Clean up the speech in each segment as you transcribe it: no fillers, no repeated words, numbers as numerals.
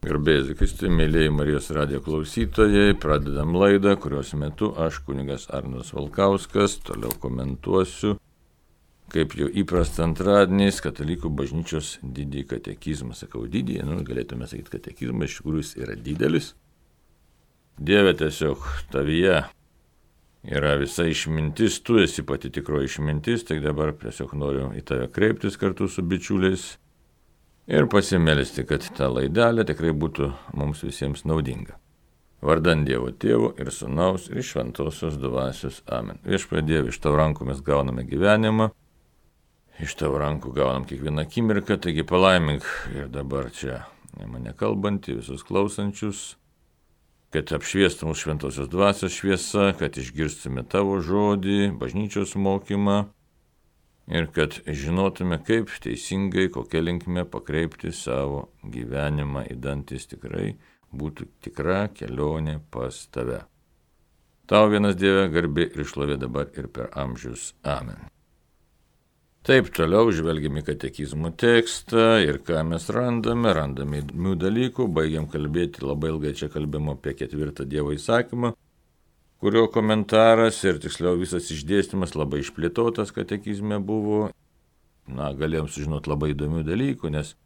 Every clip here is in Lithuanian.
Garbėsiu Kristui, mėlyjei Marijos radijo klausytojai, pradedam laidą, kurios metu aš, kunigas Arnas Valkauskas, toliau komentuosiu, kaip jau įprasta antradieniais, Katalikų bažnyčios didįjį katekizmą. Sakau didįjį, galėtume sakyti katekizmą, iš tikrųjų jis yra didelis. Dieve, tiesiog tavyje yra visa išmintis, tu esi pati tikroji išmintis, tai dabar tiesiog noriu į tave kreiptis kartu su bičiuliais ir pasimelsti, kad ta laidelė tikrai būtų mums visiems naudinga. Vardan Dievo Tėvo ir Sūnaus ir Šventosios Dvasios. Amen. Viešpatie Dieve, iš tavo rankų mes gauname gyvenimą, iš tavo rankų gaunam kiekvieną akimirką, taigi palaimink ir dabar čia mane kalbantį, visus klausančius, kad apšviestų mūsų Šventosios Dvasios šviesa, kad išgirstume tavo žodį, bažnyčios mokymą, ir kad žinotume, kaip teisingai, kokia linkme pakreipti savo gyvenimą, įdantis tikrai būtų tikra kelionė pas tave. Tau vienas Dieve garbė ir šlovė dabar ir per amžius. Amen. Taip, toliau žvelgiam į katekizmo tekstą ir ką mes randame įdomių dalykų, baigiam kalbėti, labai ilgai čia kalbėjom apie 4 Dievo įsakymą, kurio komentaras ir tiksliau visas išdėstymas labai išplėtotas katekizme buvo. Galėjom sužinoti labai įdomių dalykų, nes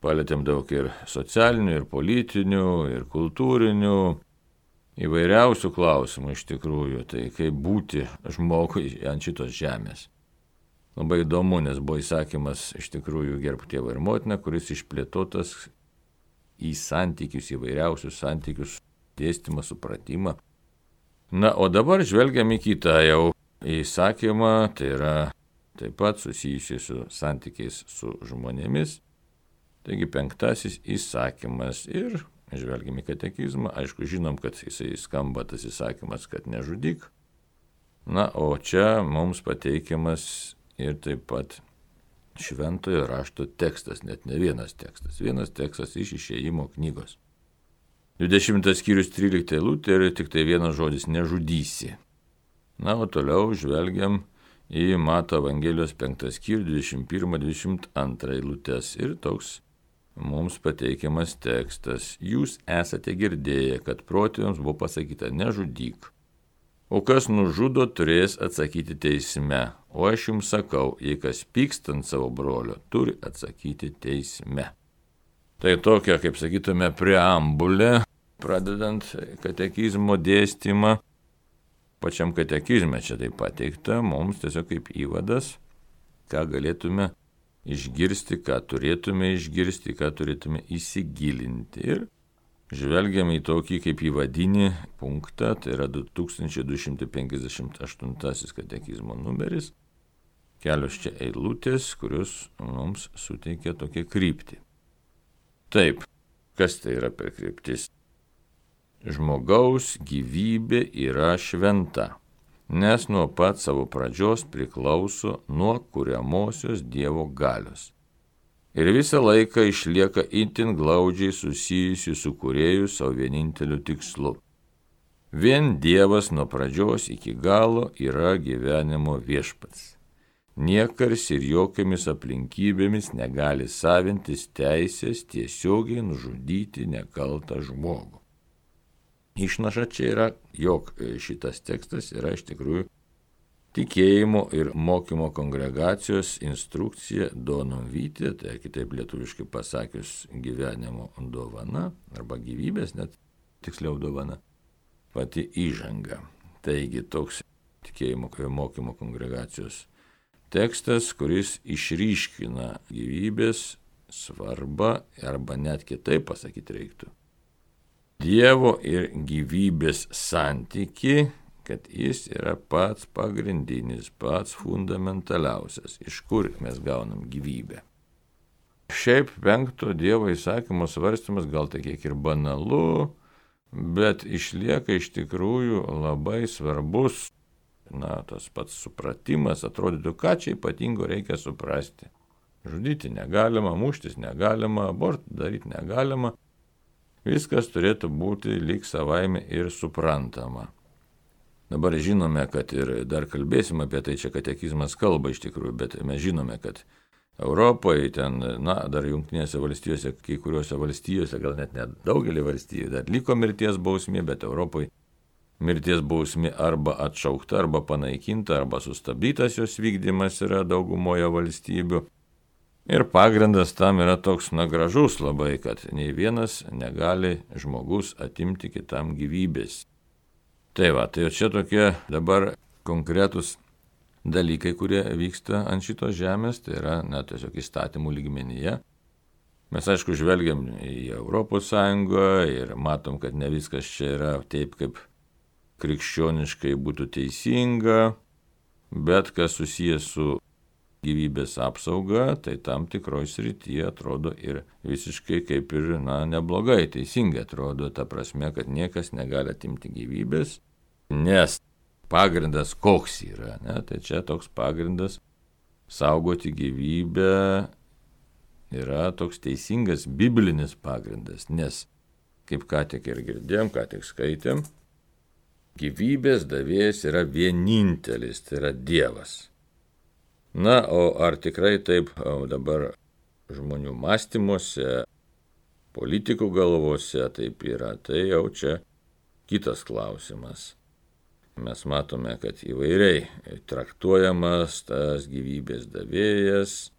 palėtėm daug ir socialinių, ir politinių, ir kultūrinių, įvairiausių klausimų iš tikrųjų. Tai kaip būti žmogui ant šitos žemės. Labai įdomu, nes buvo įsakymas iš tikrųjų gerbk tėvą ir motiną, kuris išplėtotas į santykius, įvairiausius santykius, dėstymą, supratimą. O dabar žvelgiam į kitą jau įsakymą, tai yra taip pat susijusi su santykiais su žmonėmis. Taigi 5 įsakymas ir žvelgiam į katekizmą. Aišku, žinom, kad jisai skamba tas įsakymas, kad nežudyk. O čia mums pateikiamas ir taip pat šventojo rašto tekstas, net ne vienas tekstas. Vienas tekstas iš Išėjimo knygos. 20 skyrius 13 eilutė ir tik tai vienas žodis nežudysi. O toliau žvelgiam į Mato Evangelijos 5 skyrių 21-22 eilutės ir toks mums pateikiamas tekstas. Jūs esate girdėję, kad protėviams buvo pasakyta nežudyk, o kas nužudo turės atsakyti teisme. O aš jums sakau, jei kas pyksta ant savo brolio, turi atsakyti teisme. Tai tokia, kaip sakytume, preambulė, pradedant katekizmo dėstymą. Pačiam katekizme čia tai pateikta, mums tiesiog kaip įvadas, ką galėtume išgirsti, ką turėtume išgirsti, ką turėtume įsigilinti. Ir žvelgiam į tokį kaip įvadinį punktą, tai yra 2258 katekizmo numeris, kelios čia eilutės, kurios mums suteikia tokią kryptį. Taip, kas tai yra per kryptis? Žmogaus gyvybė yra šventa, nes nuo pat savo pradžios priklauso nuo kuriamosios Dievo galios. Ir visą laiką išlieka itin glaudžiai susijusi su kūrėju savo vieninteliu tikslu. Vien Dievas nuo pradžios iki galo yra gyvenimo viešpats. Niekas ir jokiamis aplinkybėmis negali savintis teisės tiesiogiai nužudyti nekaltą žmogų. Išnaša čia yra, jog šitas tekstas yra iš tikrųjų tikėjimo ir mokymo kongregacijos instrukcija Donum Vitae, tai kitaip lietuviškai pasakius gyvenimo dovana, arba gyvybės, net tiksliau dovana, pati įžanga. Taigi toks tikėjimo ir mokymo kongregacijos tekstas, kuris išryškina gyvybės svarbą, arba net kitaip pasakyti reiktų. Dievo ir gyvybės santyki, kad jis yra pats pagrindinis, pats fundamentaliausias, iš kur mes gaunam gyvybę. Šiaip 5 Dievo įsakymo svarstymas gal tai kiek ir banalu, bet išlieka iš tikrųjų labai svarbus. Tas pats supratimas, atrodytų, ką čia ypatingo reikia suprasti. Žudyti negalima, muštis negalima, abortų daryti negalima. Viskas turėtų būti lyg savaime ir suprantama. Dabar žinome, kad ir dar kalbėsim apie tai, čia katekizmas kalba iš tikrųjų, bet mes žinome, kad Europoje, ten, dar Jungtinėse valstijose, kai kuriuose valstijose, gal net daugelį valstijų, dar liko mirties bausmė, bet Europoje mirties bausmė arba atšaukta, arba panaikinta, arba sustabdytas jos vykdymas yra daugumoje valstybių. Ir pagrindas tam yra toks gražus labai, kad nei vienas negali žmogus atimti kitam gyvybės. Tai čia tokie dabar konkretus dalykai, kurie vyksta ant šitos žemės, tai yra tiesiog įstatymų lygmenyje. Mes aišku žvelgiam į Europos Sąjungą ir matom, kad ne viskas čia yra taip, kaip krikščioniškai būtų teisinga, bet kas susijęs su gyvybės apsauga, tai tam tikroj srityje atrodo ir visiškai kaip ir neblogai, teisingai atrodo, ta prasme, kad niekas negali atimti gyvybės, nes pagrindas koks yra, tai čia toks pagrindas saugoti gyvybę yra toks teisingas biblinis pagrindas, nes, kaip ką tik ir girdėjom, ką tik skaitėm, gyvybės davėjas yra vienintelis, tai yra Dievas. O ar tikrai taip dabar žmonių mąstymuose, politikų galvose taip yra, tai jau čia kitas klausimas. Mes matome, kad įvairiai traktuojamas tas gyvybės davėjas,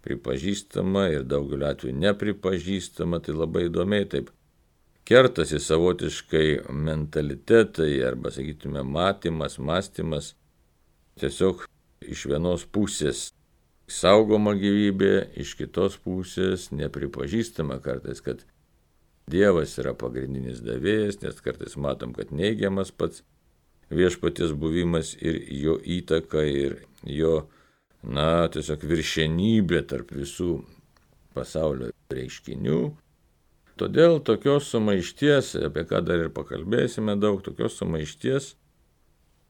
pripažįstama ir daugeliu atveju nepripažįstama, tai labai įdomiai taip kertasi savotiškai mentalitetai arba, sakytume, mąstymas, tiesiog iš vienos pusės saugoma gyvybė, iš kitos pusės nepripažįstama kartais, kad Dievas yra pagrindinis davėjas, nes kartais matom, kad neigiamas pats viešpaties buvimas ir jo įtaka ir jo, tiesiog viršenybė tarp visų pasaulio reiškinių. Todėl tokios sumaišties, apie ką dar ir pakalbėsime daug, tokios sumaišties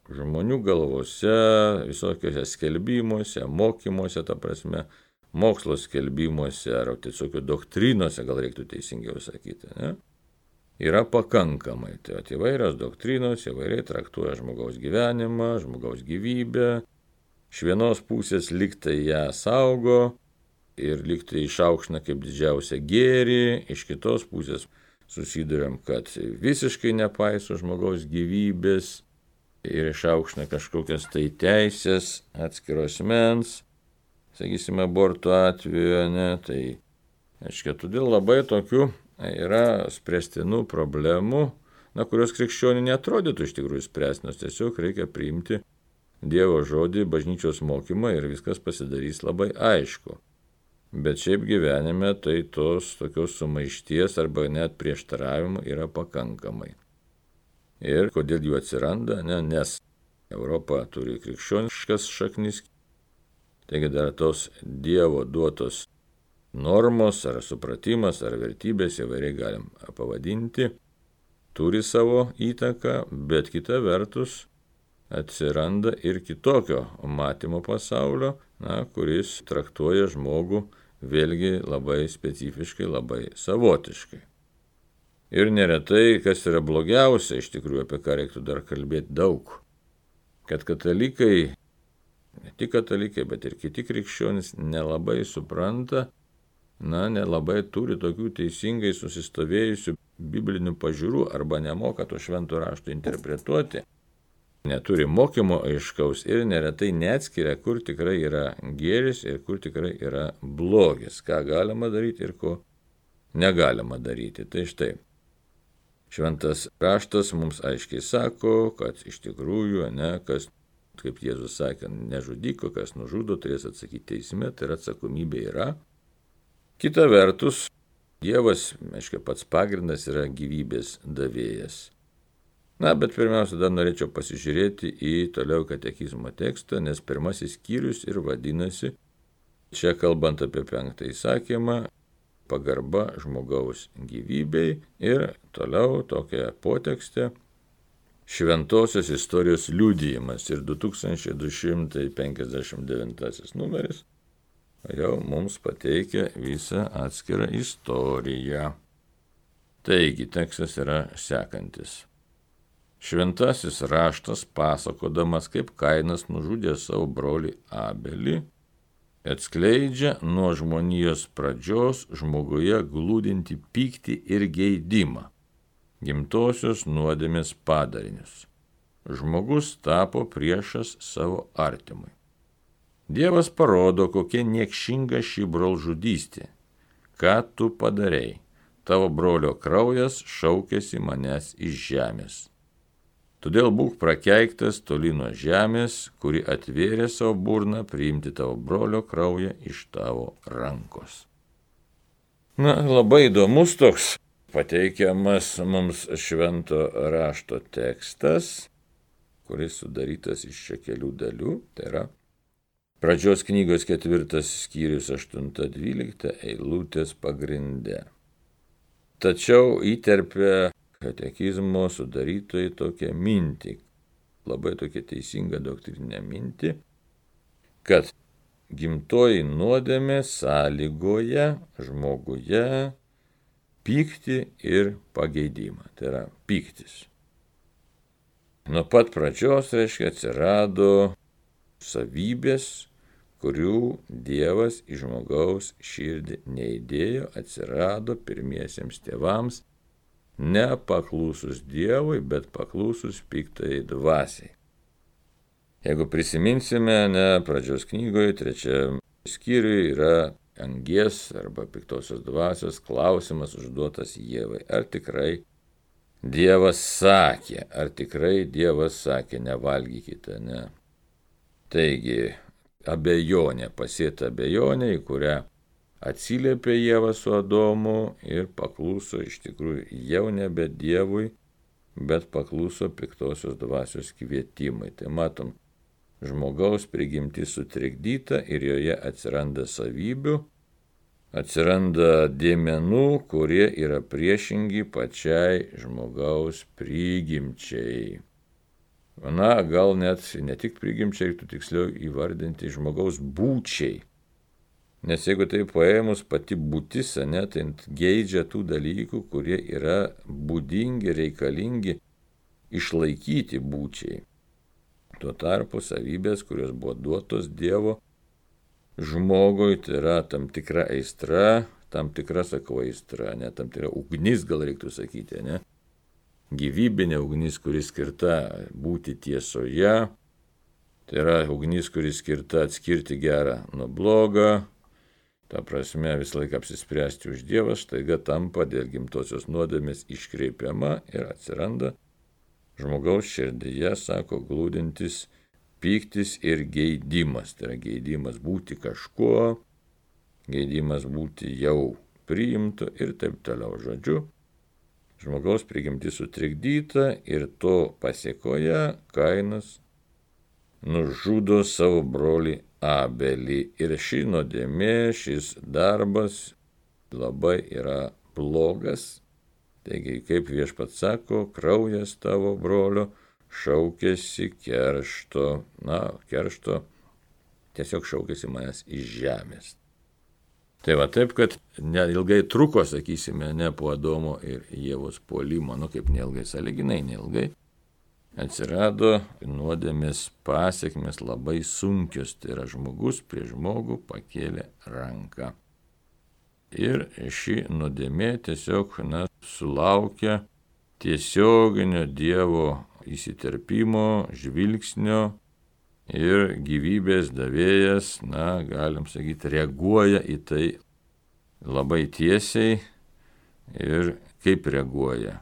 žmonių galvose, visokiose skelbimuose, mokymuose, ta prasme, mokslo skelbimuose ar tiesiog doktrinose, gal reiktų teisingiau sakyti, yra pakankamai. Tai įvairios doktrinos įvairiai traktuoja žmogaus gyvenimą, žmogaus gyvybę. Iš vienos pusės lygtai ją saugo ir lygtai išaukština kaip didžiausią gėrį, iš kitos pusės susiduriam, kad visiškai nepaiso žmogaus gyvybės ir išaukština kažkokias tai teisės atskiros mens, sakysime, aborto atveju, tai aiškiai, todėl labai tokių yra spręstinų problemų, kurios krikščionių neatrodytų iš tikrųjų spręstinos, tiesiog reikia priimti Dievo žodį, bažnyčios mokymą ir viskas pasidarys labai aišku. Bet šiaip gyvenime tai tos tokios sumaišties arba net prieštaravimų yra pakankamai. Ir kodėl jų atsiranda, nes Europa turi krikščioniškas šaknis, taigi dar tos Dievo duotos normos ar supratimas ar vertybės, įvairiai galim pavadinti, turi savo įtaką, bet kita vertus atsiranda ir kitokio matymo pasaulio, kuris traktuoja žmogų vėlgi labai specifiškai, labai savotiškai. Ir neretai, kas yra blogiausia, iš tikrųjų, apie ką reiktų dar kalbėti daug, kad katalikai, ne tik katalikai, bet ir kiti krikščionys nelabai supranta, nelabai turi tokių teisingai susistovėjusių biblinių pažiūrų arba nemoka to švento rašto interpretuoti, neturi mokymo aiškaus ir neretai neatskiria, kur tikrai yra gėris ir kur tikrai yra blogis, ką galima daryti ir ko negalima daryti. Tai štai, šventas raštas mums aiškiai sako, kad iš tikrųjų, kas, kaip Jėzus sakė, nežudyk, kas nužudo, turės atsakyti teisme, tai atsakomybė yra. Kita vertus, Dievas, aiškiai, pats pagrindas yra gyvybės davėjas. Bet pirmiausia, dar norėčiau pasižiūrėti į toliau katekizmo tekstą, nes pirmasis skyrius ir vadinasi, čia kalbant apie 5 įsakymą, pagarba žmogaus gyvybei ir toliau tokia potekstė, šventosios istorijos liudijimas ir 2259 numeris jau mums pateikia visą atskirą istoriją. Taigi, tekstas yra sekantis. Šventasis raštas pasakodamas, kaip Kainas nužudė savo brolį Abelį, atskleidžia nuo žmonijos pradžios žmoguje glūdinti pyktį ir geidimą, gimtosios nuodėmės padarinius. Žmogus tapo priešas savo artimui. Dievas parodo, kokia niekšinga ši brolžudystė. Ką tu padarei? Tavo brolio kraujas šaukėsi manęs iš žemės. Todėl būk prakeiktas toli nuo žemės, kuri atvėrė savo burną priimti tavo brolio kraują iš tavo rankos. Labai įdomus toks pateikiamas mums švento rašto tekstas, kuris sudarytas iš čia kelių dalių, tai yra Pradžios knygos 4 skyrius 8-12 eilutės pagrinde. Tačiau įterpia katekizmo sudarytojai tokią mintį, labai tokią teisingą doktrinę mintį, kad gimtoji nuodėmė sąlygoja žmoguje pyktį ir pageidimą, tai yra pyktis. Nuo pat pradžios, atsirado savybės, kurių Dievas į žmogaus širdį neįdėjo, atsirado pirmiesiems tėvams, nepaklūsus Dievui, bet paklūsus piktajai dvasiai. Jeigu prisiminsime, Pradžios knygoje 3 skyriuje yra angies arba piktosios dvasios klausimas užduotas Ievai. Ar tikrai Dievas sakė, nevalgykite, ne? Taigi, abejonė, pasėta abejonė, į kurią atsiliepė Ieva su Adomu ir paklūso iš tikrųjų jau nebe Dievui, bet paklūso piktosios dvasios kvietimai. Tai matom, žmogaus prigimtis sutrikdyta ir joje atsiranda savybių, atsiranda dėmenų, kurie yra priešingi pačiai žmogaus prigimčiai. Gal net ne tik prigimčiai, reiktų tiksliau įvardinti žmogaus būčiai. Nes jeigu tai paėmus pati būtis, tai geidžia tų dalykų, kurie yra būdingi, reikalingi išlaikyti būčiai. Tuo tarpu savybės, kurios buvo duotos Dievo žmogui, tai yra tam tikra aistra, tam tikra aistra, tam tikra ugnis, gal reiktų sakyti, ne? Gyvybinė ugnis, kuri skirta būti tiesoje, tai yra ugnis, kuri skirta atskirti gerą nuo blogo, ta prasme visą laiką apsispręsti už Dievą, staiga tampa dėl gimtosios nuodėmės iškreipiama ir atsiranda žmogaus širdyje, sako, glūdintis pyktis ir geidimas. Tai yra geidimas būti kažkuo, geidimas būti jau priimtu ir taip toliau. Žodžiu, žmogaus prigimtis sutrikdyta ir to pasėkoje Kainas nužudo savo brolį Abelį. Ir ši nuodėmė, šis darbas labai yra blogas. Taigi, kaip Viešpats sako, kraujas tavo brolio šaukėsi keršto. Keršto tiesiog šaukėsi manęs iš žemės. Tai va taip, kad neilgai truko, sakysime, po Adomo ir Ievos puolimo, kaip neilgai, sąlyginai neilgai, atsirado nuodėmės pasekmės labai sunkios, tai yra žmogus prie žmogų pakėlė ranką. Ir ši nuodėmė tiesiog sulaukia tiesioginio Dievo įsiterpimo, žvilgsnio ir gyvybės davėjas, galim sakyti, reaguoja į tai labai tiesiai ir kaip reaguoja.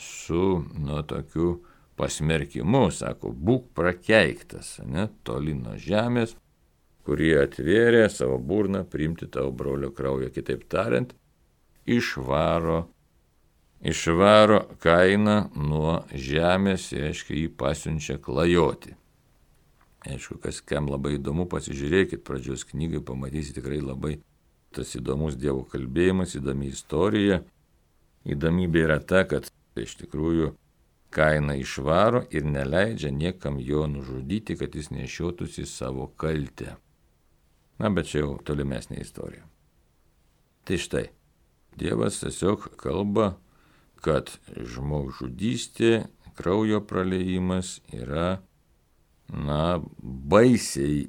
Su tokiu pasmerkimu, sako, būk prakeiktas, toli nuo žemės, kurį atvėrė savo burną priimti tavo brolio kraują. Kitaip tariant, išvaro Kainą nuo žemės, reiškia, jį pasiunčia klajoti. Aišku, kam labai įdomu, pasižiūrėkit Pradžios knygai, pamatysite tikrai labai tas įdomus Dievo kalbėjimas, įdomi istorija. Įdomybė yra ta, kad iš tikrųjų Kainą išvaro ir neleidžia niekam jo nužudyti, kad jis nešiotųsi savo kaltę. Bet čia jau tolimesnė istorija. Tai štai, Dievas tiesiog kalba, kad žmogžudystė, kraujo praleijimas yra baisiai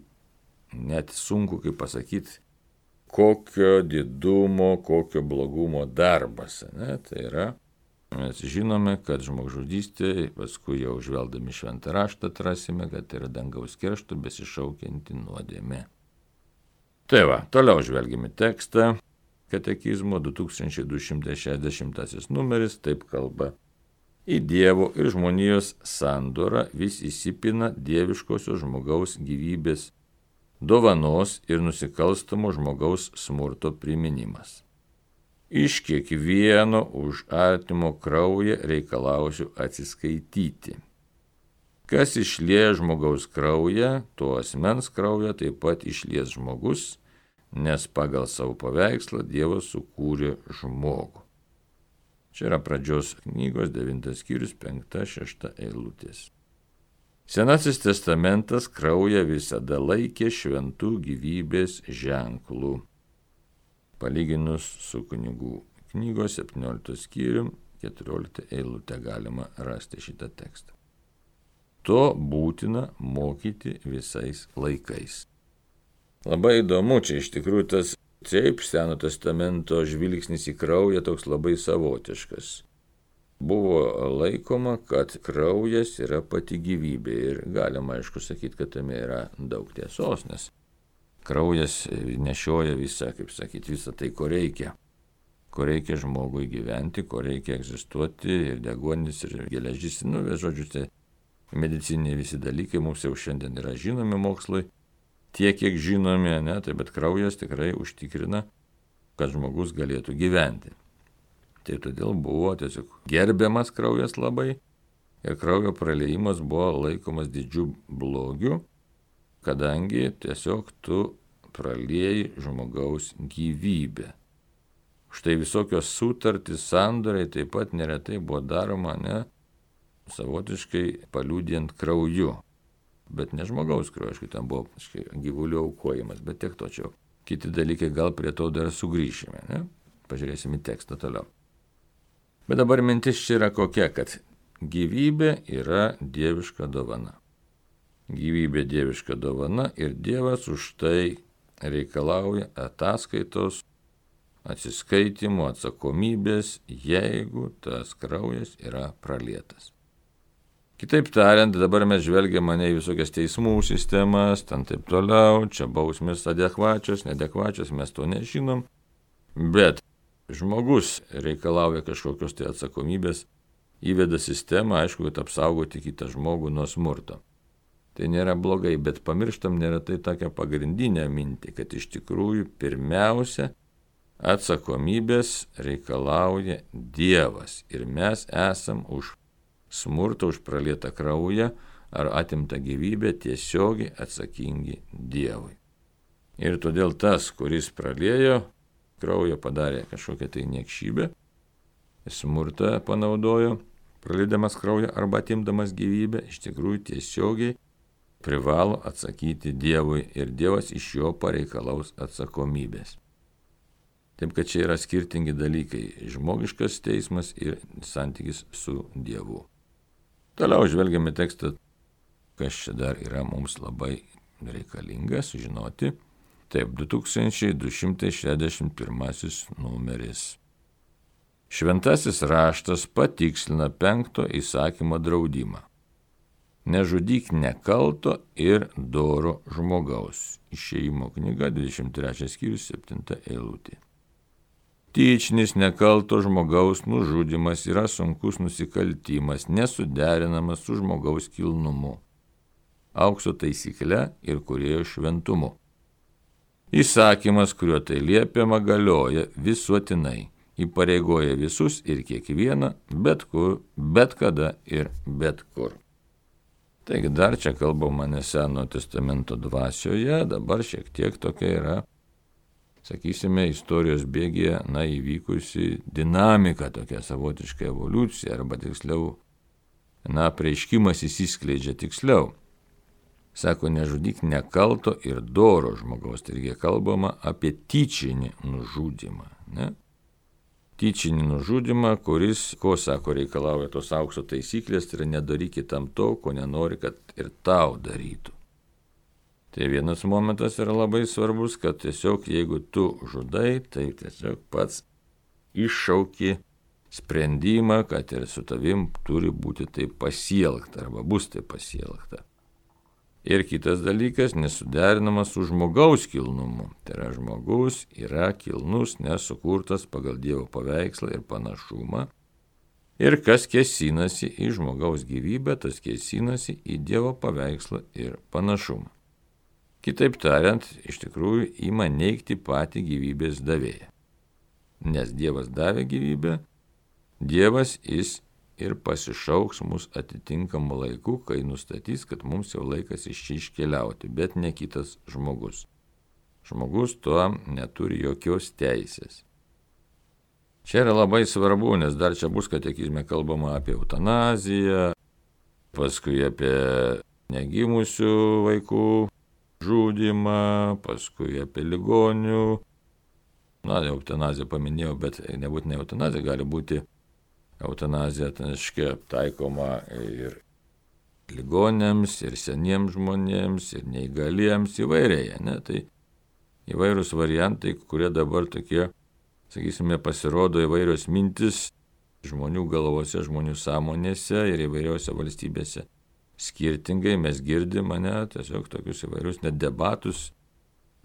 net sunku kaip pasakyti, kokio didumo, kokio blogumo darbas. Ne? Tai yra, mes žinome, kad žmogžudystė, paskui jau žvelgdami šventą raštą atrasime, kad tai yra dangaus keršto besišaukianti nuodėmė. Tai va, toliau žvelgime tekstą. Katekizmo 2260 numeris taip kalba. Į Dievo ir žmonijos sandorą vis įsipina dieviškosios žmogaus gyvybės dovanos ir nusikalstamo žmogaus smurto priminimas. Iš kiekvieno už artimo kraują reikalausiu atsiskaityti. Kas išlieja žmogaus kraują, to asmens kraują taip pat išlies žmogus, nes pagal savo paveikslą Dievas sukūrė žmogų. Čia yra pradžios knygos 9 skyrius 5-6 eilutės. Senasis testamentas kraują visada laikė šventų gyvybės ženklų. Palyginus su kunigų knygos 17 skyrium 14 eilutę galima rasti šitą tekstą. To būtina mokyti visais laikais. Labai įdomu, čia iš tikrųjų tas taip Seno testamento žvilgsnis į kraują toks labai savotiškas. Buvo laikoma, kad kraujas yra pati gyvybė ir galima aišku sakyti, kad tame yra daug tiesos, nes kraujas nešioja visą, kaip sakyti, visą tai, ko reikia. Ko reikia žmogui gyventi, ko reikia egzistuoti ir deguonis ir geležis, žodžiu, tai medicininiai visi dalykai mums jau šiandien yra žinomi mokslai. Tiek, kiek žinome, tai bet kraujas tikrai užtikrina, kad žmogus galėtų gyventi. Tai todėl buvo tiesiog gerbiamas kraujas labai ir kraujo praleimas buvo laikomas didžiu blogiu, kadangi tiesiog tu pralieji žmogaus gyvybę. Štai visokios sutartys, sandoriai taip pat neretai buvo daroma, savotiškai paliudijant krauju. Bet ne žmogaus krauju, aišku, ten buvo gyvulių aukojimas, bet tiek to čia. Kiti dalykai, gal prie to dar sugrįšime, Pažiūrėsime tekstą toliau. Bet dabar mintis čia yra kokia, kad gyvybė yra dieviška dovana. Gyvybė dieviška dovana ir Dievas už tai reikalauja ataskaitos, atsiskaitimo, atsakomybės, jeigu tas kraujas yra pralietas. Kitaip tariant, dabar mes žvelgiame į visokias teismų sistemas, ten taip toliau, čia bausmės adekvačios, neadekvačios, mes to nežinom, bet žmogus reikalauja kažkokios tai atsakomybės, įveda sistemą, aišku, kad apsaugoti kitą žmogų nuo smurto. Tai nėra blogai, bet pamirštam neretai tokią pagrindinę mintį, kad iš tikrųjų pirmiausia atsakomybės reikalauja Dievas ir mes esam už smurtą, už pralietą kraują ar atimtą gyvybę tiesiogiai atsakingi Dievui. Ir todėl tas, kuris praliejo kraują, padarė kažkokią tai niekšybę, smurtą panaudojo, praliedamas kraują arba atimdamas gyvybę, iš tikrųjų tiesiogiai privalo atsakyti Dievui ir Dievas iš jo pareikalaus atsakomybės. Taip, kad čia yra skirtingi dalykai - žmogiškas teismas ir santykis su Dievu. Toliau žvelgiame tekstą, kas čia dar yra mums labai reikalinga sužinoti. Taip, 2261 numeris. Šventasis raštas patikslina 5 įsakymo draudimą. Nežudyk nekalto ir doro žmogaus. Išėjimo knyga 23 skyrius 7 eilutė. Tyčinis nekalto žmogaus nužudymas yra sunkus nusikaltimas, nesuderinamas su žmogaus kilnumu, aukso taisykle ir kūrėjo šventumu. Įsakymas, kuriuo tai liepiama, galioja visuotinai, įpareigoja visus ir kiekvieną, bet kur, bet kada ir bet kur. Taigi dar čia kalbama ne Seno testamento dvasioje, dabar šiek tiek tokia yra, sakysime, istorijos bėgyje, įvykusi dinamika, tokia savotiška evoliucija, arba tiksliau, prieškimas įsiskleidžia tiksliau. Sako, nežudyk nekalto ir doro žmogaus, taigi kalbama apie tyčinį nužudymą, Tyčinį nužudymą, kuris, ko sako, reikalauja tos aukso taisyklės, tai yra nedaryk kitam to, ko nenori, kad ir tau darytų. Tai vienas momentas yra labai svarbus, kad tiesiog jeigu tu žudai, tai tiesiog pats iššauki sprendimą, kad ir su tavim turi būti taip pasielgta arba bus taip pasielgta. Ir kitas dalykas, nesuderinamas su žmogaus kilnumu. Tai yra žmogus yra kilnus, nesukurtas pagal Dievo paveikslą ir panašumą. Ir kas kėsinasi į žmogaus gyvybę, tas kėsinasi į Dievo paveikslą ir panašumą. Kitaip tariant, iš tikrųjų ima neigti patį gyvybės davėją. Nes Dievas davė gyvybę, Dievas jis ir pasišauks mus atitinkamu laiku, kai nustatys, kad mums jau laikas iš čia iškeliauti, bet ne kitas žmogus. Žmogus tuo neturi jokios teisės. Čia yra labai svarbu, nes dar čia bus katekizme kalbama apie eutanaziją, paskui apie negimusių vaikų žudymą, paskui apie ligonių. Eutanaziją paminėjau, bet nebūtinai eutanazija, gali būti eutanazija taikoma ir ligonėms, ir seniems žmonėms, ir neįgaliems, įvairiai. Tai įvairūs variantai, kurie dabar tokie, sakysime, pasirodo įvairios mintis žmonių galvose, žmonių sąmonėse ir įvairiose valstybėse. Skirtingai mes girdim tiesiog tokius įvairius net debatus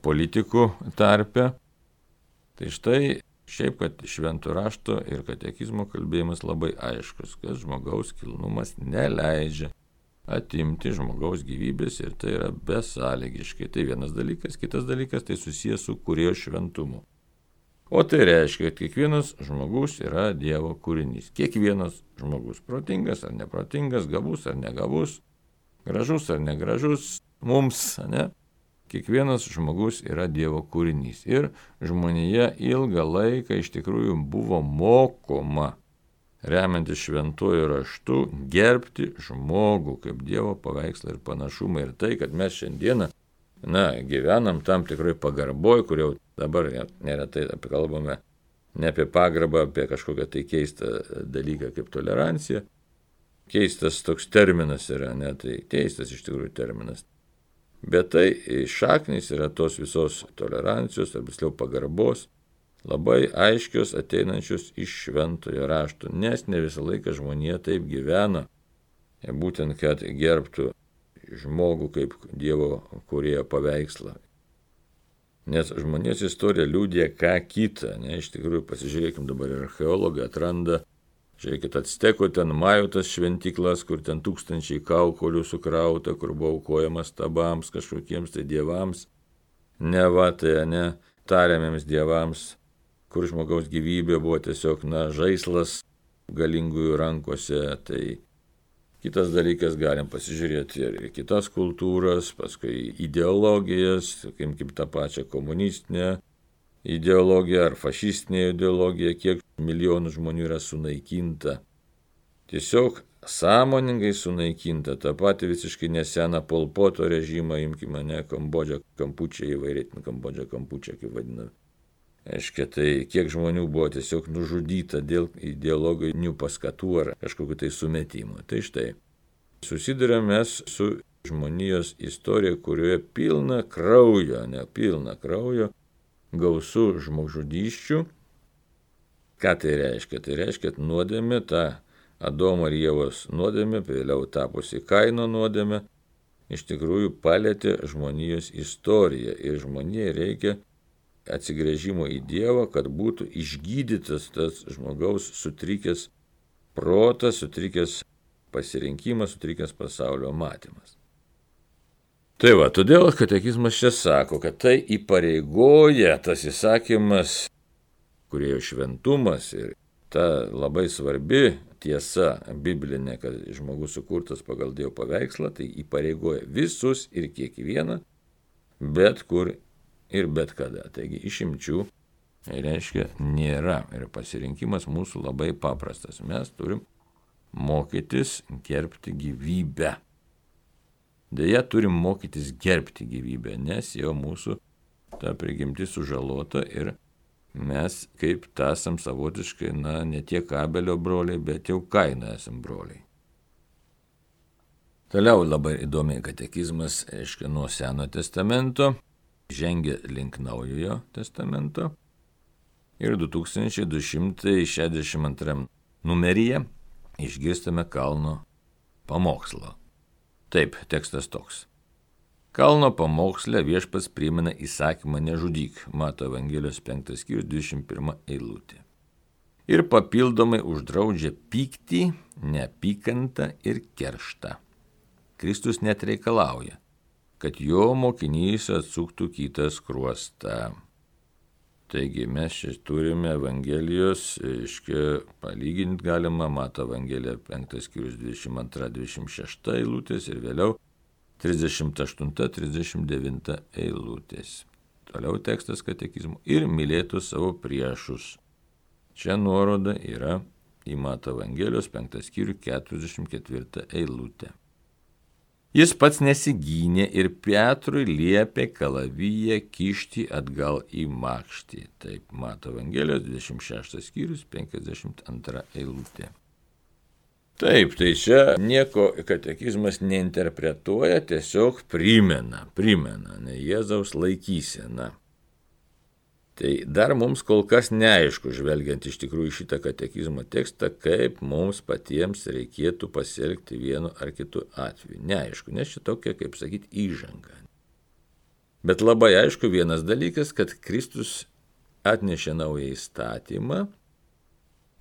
politikų tarpe. Tai štai šiaip, kad švento rašto ir katekizmo kalbėjimas labai aiškus, kad žmogaus kilnumas neleidžia atimti žmogaus gyvybės ir tai yra besąlygiškai. Tai vienas dalykas, kitas dalykas tai susijęs su kūrėjo šventumu. O tai reiškia, kad kiekvienas žmogus yra Dievo kūrinys. Kiekvienas žmogus, protingas ar neprotingas, gabus ar negabus, gražus ar negražus, mums, Kiekvienas žmogus yra Dievo kūrinys. Ir žmonija ilgą laiką iš tikrųjų buvo mokoma, remiantis šventuoju raštu, gerbti žmogų kaip Dievo paveikslą ir panašumą. Ir tai, kad mes šiandieną gyvenam tam tikrai pagarboj, kur jau dabar neretai kalbame ne apie pagarbą, apie kažkokią tai keistą dalyką kaip tolerancija. Keistas toks terminas yra, tai keistas iš tikrųjų terminas. Bet tai šaknys yra tos visos tolerancijos, ar visliau pagarbos, labai aiškios ateinančios iš šventojo rašto, nes ne visą laiką žmonija taip gyvena, būtent kad gerbtų žmogų kaip Dievo kūrėjo paveikslą. Nes žmonijos istorija liudija ką kitą, iš tikrųjų pasižiūrėkim dabar ir archeologai atranda, žiūrėkit, Actekų ten Majotas šventyklas, kur ten tūkstančiai kaukolių sukrauta, kur buvo aukojamas stabams, kažkokiems tai dievams, tariamiems dievams, kur žmogaus gyvybė buvo tiesiog žaislas galingųjų rankose. Tai kitas dalykas, galim pasižiūrėti ir kitas kultūras, paskui ideologijas, kaip tą pačią komunistinę ideologija ar fašistinė ideologija, kiek milijonų žmonių yra sunaikinta. Tiesiog sąmoningai sunaikinta. Ta pati visiškai neseną Pol Poto režimą, imkime Kambodžą, Kampučią, įvairiai Kambodžą, Kampučią, kaip vadina. Aiškia, tai kiek žmonių buvo tiesiog nužudyta dėl ideologinių paskatų ar kažkokiu tai sumetimų. Tai štai, susidurėme su žmonijos istorija, kurioje pilna kraujo, gausų žmogžudysčių. Ką tai reiškia? Tai reiškia, kad nuodėmė, ta Adomo ir Ievos nuodėmė, vėliau tapusi Kaino nuodėmė, iš tikrųjų palėtė žmonijos istoriją. Ir žmonijai reikia atsigręžimo į Dievą, kad būtų išgydytas tas žmogaus sutrikęs protas, sutrikęs pasirinkimas, sutrikęs pasaulio matymas. Tai todėl katekizmas čia sako, kad tai įpareigoja tas įsakymas, kūrėjo šventumas ir ta labai svarbi tiesa biblinė, kad žmogus sukurtas pagal Dievo paveikslą, tai įpareigoja visus ir kiekvieną, bet kur ir bet kada. Taigi išimčių, reiškia, nėra. Ir pasirinkimas mūsų labai paprastas. Mes turim mokytis gerbti gyvybę. Deja, turim mokytis gerbti gyvybę, nes jau mūsų ta prigimtis sužalota ir mes kaip esam savotiškai, ne tiek Abelio broliai, bet jau Kaino esam broliai. Toliau labai įdomiai katekizmas, reiškia, nuo Senojo testamento, žengia link Naujojo testamento. Ir 2262 numeryje išgirstame Kalno pamokslą. Taip, tekstas toks. Kalno pamoksle viešpats primena įsakymą nežudyk, Mato Evangelijos 5 skyrius 21 eilutė. Ir papildomai uždraudžia pyktį, neapykantą ir kerštą. Kristus net reikalauja, kad jo mokinys atsuktų kitą skruostą. Taigi mes čia turime Evangelijos, palyginti galima, Mato Evangelija 5 skyrius 22-26 eilutės ir vėliau 38-39 eilutės. Toliau tekstas katekizmo ir mylėtų savo priešus. Čia nuoroda yra į Mato Evangelijos 5 skyrių 44 eilutę. Jis pats nesigynė ir Petrui liepė kalaviją kišti atgal į makštį. Taip, Mato Evangelijos 26 skyrius 52 eilutė. Taip, tai čia nieko katekizmas neinterpretuoja, tiesiog primena, ne Jėzaus laikysena. Tai dar mums kol kas neaišku, žvelgiant iš tikrųjų šitą katekizmo tekstą, kaip mums patiems reikėtų pasielgti vienu ar kitu atveju. Neaišku, nes šitokia, kaip sakyti, įžanga. Bet labai aišku vienas dalykas, kad Kristus atnešė naują įstatymą,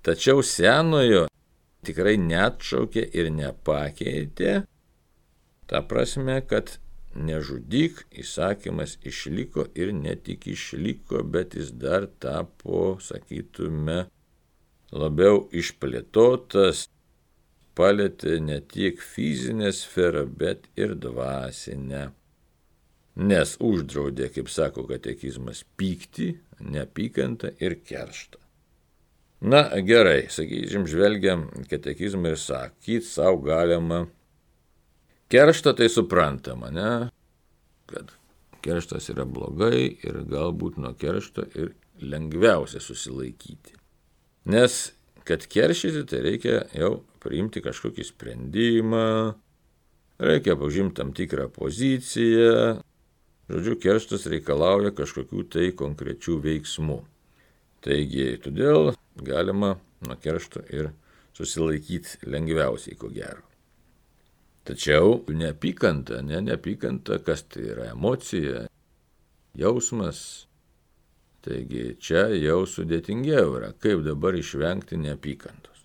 tačiau senojo tikrai neatšaukė ir nepakeitė, ta prasme, kad nežudyk įsakymas išliko ir ne tik išliko, bet jis dar tapo, sakytume, labiau išplėtotas, palėtė ne tiek fizinę sferą, bet ir dvasinę. Nes uždraudė, kaip sako katekizmas, pyktį, neapykantą ir kerštą. Na gerai, sakysim, žvelgiam katekizmą ir sakyt savo galima. Kerštą tai suprantama, ne? Kad kerštas yra blogai ir galbūt nuo keršto ir lengviausia susilaikyti. Nes, kad keršyti, tai reikia jau priimti kažkokį sprendimą, reikia užimti tam tikrą poziciją. Žodžiu, kerštas reikalauja kažkokių tai konkrečių veiksmų. Taigi, todėl galima nuo keršto ir susilaikyti lengviausiai, ko gero. Tačiau neapykanta, neapykanta, kas tai yra emocija, jausmas. Taigi čia jau sudėtingiau yra, kaip dabar išvengti neapykantos.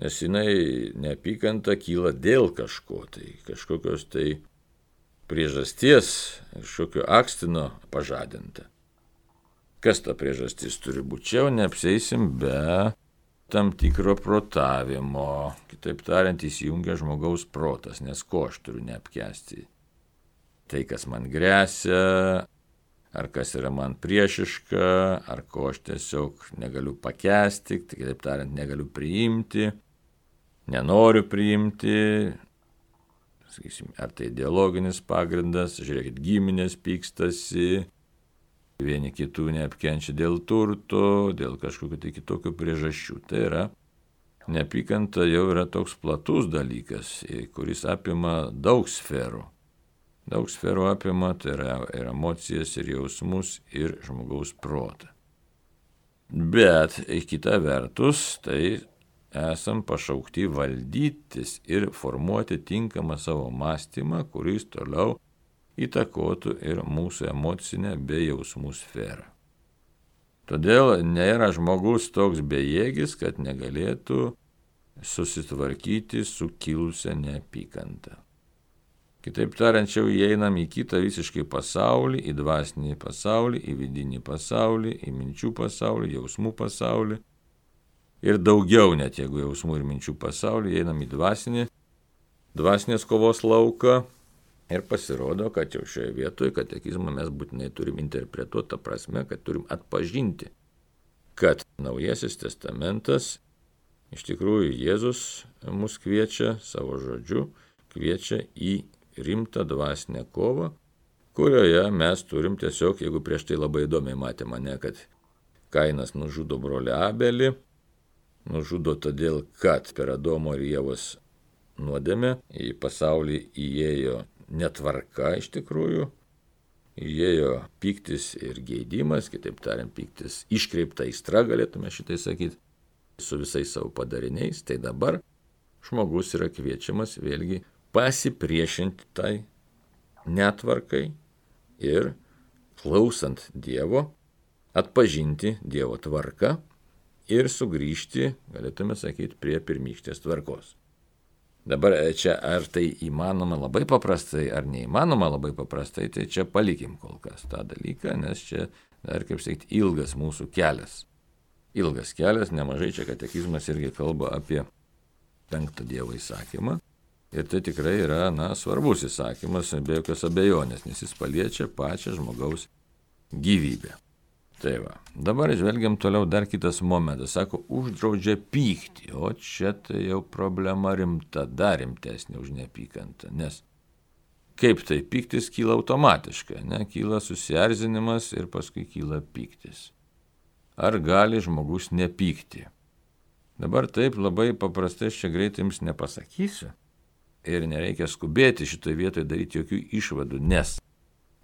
Nes jinai neapykanta kyla dėl kažko, tai kažkokios tai priežasties, kažkokio akstino pažadinta. Kas ta priežastis turi būti? Čia jau neapseisim be tam tikro protavimo, kitaip tariant, įsijungia žmogaus protas, nes ko aš turiu neapkęsti? Tai, kas man gresia, ar kas yra man priešiška, ar ko aš tiesiog negaliu pakęsti, tai kitaip tariant, negaliu priimti, nenoriu priimti, sakysim, ar tai ideologinis pagrindas, žiūrėkit, giminės pykstasi, vieni kitų neapkenčia dėl turto, dėl kažkokių tai kitokių priežasčių. Tai yra, neapykanta jau yra toks platus dalykas, kuris apima daug sferų. Daug sferų apima, tai yra ir emocijas, ir jausmus, ir žmogaus protą. Bet, kita vertus, tai esam pašaukti valdytis ir formuoti tinkamą savo mąstymą, kuris toliau įtakotų ir mūsų emocinę bei jausmų sferą. Todėl nėra žmogus toks bejėgis, kad negalėtų susitvarkyti su kilusia neapykanta. Kitaip tariant, jau įeinam į kitą visiškai pasaulį, į dvasinį pasaulį, į vidinį pasaulį, į minčių pasaulį, jausmų pasaulį. Ir daugiau net, jeigu jausmų ir minčių pasaulį, įeinam į dvasinės kovos lauką. Ir pasirodo, kad jau šioje vietoje katekizmą mes būtinai turim interpretuoti tą prasme, kad turim atpažinti, kad Naujasis testamentas, iš tikrųjų Jėzus mus kviečia savo žodžiu, kviečia į rimtą dvasinę kovą, kurioje mes turim tiesiog, jeigu prieš tai labai įdomiai matėme, ne, kad Kainas nužudo brolį Abelį, nužudo todėl, kad per Adomo ir Ievos nuodėmė, į pasaulį įėjo netvarka iš tikrųjų, įėjo pyktis ir geidimas, kitaip tariant, pyktis iškreipta aistra, galėtume šitai sakyti, su visais savo padariniais. Tai dabar žmogus yra kviečiamas vėlgi pasipriešinti tai netvarkai ir klausant Dievo, atpažinti Dievo tvarką ir sugrįžti, galėtume sakyti, prie pirmykštės tvarkos. Dabar čia ar tai įmanoma labai paprastai, ar neįmanoma labai paprastai, tai čia palikim kol kas tą dalyką, nes čia dar, kaip sakyti, ilgas mūsų kelias. Ilgas kelias, nemažai čia katekizmas irgi kalba apie 5 Dievo įsakymą. Ir tai tikrai yra, svarbus įsakymas, be jokios abejonės, nes jis paliečia pačią žmogaus gyvybę. Tai va, dabar žvelgiam toliau dar kitas momentas. Sako, uždraudžia pykti, o čia tai jau problema rimta, dar rimtesnė už neapykantą. Nes kaip tai pyktis kyla automatiškai, kyla susierzinimas ir paskui kyla pyktis. Ar gali žmogus nepykti? Dabar taip labai paprastai čia greitai jums nepasakysiu. Ir nereikia skubėti šitoje vietoje daryti jokių išvadų, nes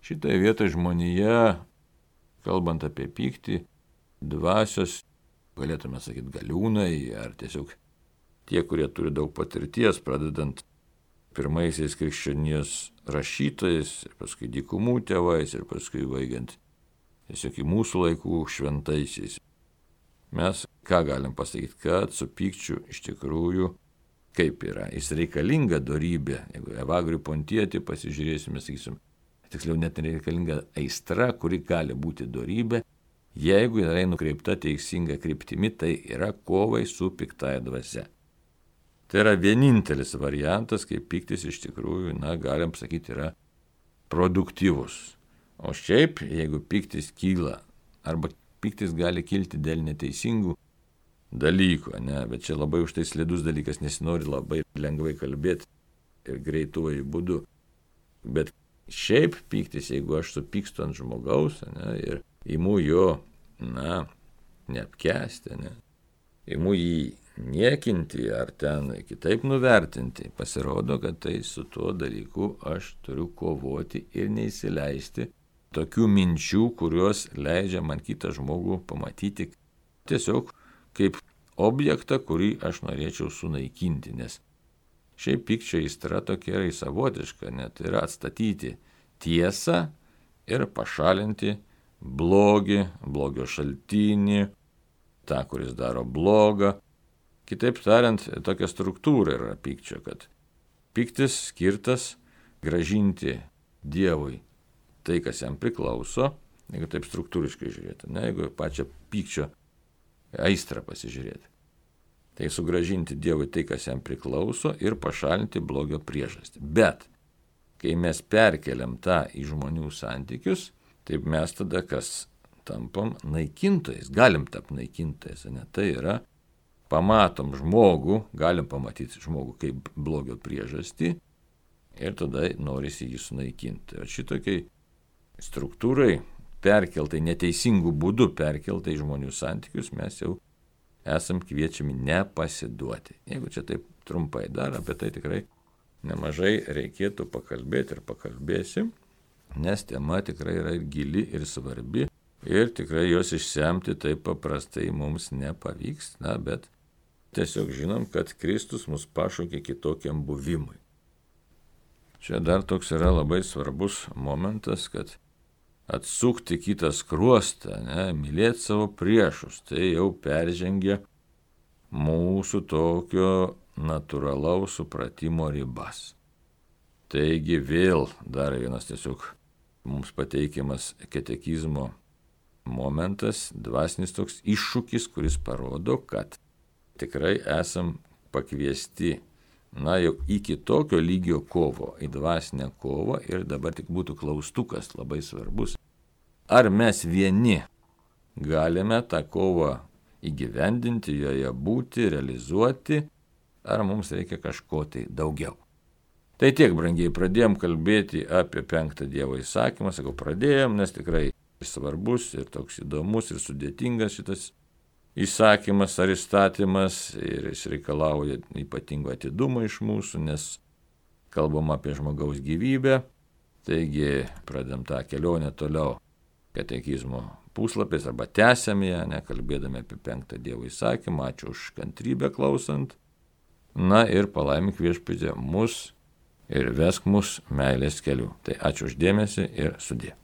šitoje vietoje žmonija, kalbant apie pyktį, dvasios, galėtume sakyti, galiūnai, ar tiesiog tie, kurie turi daug patirties, pradedant pirmaisiais krikščionijos rašytojais, ir paskui dykumų tėvais, ir paskui baigiant tiesiog į mūsų laikų šventaisiais. Mes ką galim pasakyti, kad su pykčiu iš tikrųjų kaip yra, jis reikalinga dorybė. Jeigu Evagrių Pontietį pasižiūrėsime, sakysim, tiksliau net nereikalinga aistra, kuri gali būti dorybė, jeigu yra nukreipta teisinga kryptimi, tai yra kovai su piktąja dvasia. Tai yra vienintelis variantas, kaip pyktis iš tikrųjų, galim sakyti, yra produktyvus. O šiaip, jeigu pyktis kyla, arba pyktis gali kilti dėl neteisingų dalykų, bet čia labai už tai slidus dalykas, nesinori labai lengvai kalbėti ir greituoju būdu. Bet šiaip pyktis, jeigu aš supykstu ant žmogaus, ir imu jo, neapkęsti, imu jį niekinti ar ten kitaip nuvertinti, pasirodo, kad tai su tuo dalyku aš turiu kovoti ir neįsileisti tokių minčių, kurios leidžia man kitą žmogų pamatyti tiesiog kaip objektą, kurį aš norėčiau sunaikinti, nes šiaip pykčio aistra tokia yra savotiška, net yra atstatyti tiesą ir pašalinti blogį, blogio šaltinį, tą, kuris daro blogą. Kitaip tariant, tokia struktūra yra pykčio, kad pyktis skirtas gražinti Dievui tai, kas jam priklauso, jeigu taip struktūriškai žiūrėti, jeigu pačią pykčio aistrą pasižiūrėti. Tai sugražinti Dievui tai, kas jam priklauso ir pašalinti blogio priežastį. Bet, kai mes perkeliam tą į žmonių santykius, taip mes tada kas tampam naikintojais, galim tapti naikintojais, Tai yra, pamatom žmogų, galim pamatyti žmogų kaip blogio priežastį ir tada norisi jį sunaikinti. O šitokiai struktūrai perkeltai, neteisingų būdų perkeltai žmonių santykius, mes jau esam kviečiami nepasiduoti. Jeigu čia taip trumpai dar, apie tai tikrai nemažai reikėtų pakalbėti ir pakalbėsim, nes tema tikrai yra ir gili, ir svarbi, ir tikrai jos išsemti taip paprastai mums nepavyks, bet tiesiog žinom, kad Kristus mus pašaukė kitokiam buvimui. Čia dar toks yra labai svarbus momentas, kad atsukti kitą skruostą, mylėti savo priešus, tai jau peržengia mūsų tokio natūralaus supratimo ribas. Taigi vėl dar vienas tiesiog mums pateikiamas katekizmo momentas, dvasinis toks iššūkis, kuris parodo, kad tikrai esam pakviesti jau iki tokio lygio kovo, į dvasinę kovą, ir dabar tik būtų klaustukas labai svarbus. Ar mes vieni galime tą kovą įgyvendinti, joje būti, realizuoti, ar mums reikia kažko tai daugiau. Tai tiek, brangiai, pradėjom kalbėti apie 5 Dievo įsakymą, pradėjom, nes tikrai svarbus ir toks įdomus ir sudėtingas šitas įsakymas ar įstatymas ir jis reikalauja ypatingo atidumo iš mūsų, nes kalbam apie žmogaus gyvybę. Taigi pradedam tą kelionę toliau katekizmo puslapiais arba tęsiam ją, kalbėdami apie 5 Dievo įsakymą. Ačiū už kantrybę klausant. Na ir palaimink Viešpatie mus ir vesk mus meilės keliu. Tai ačiū už dėmesį ir sudie.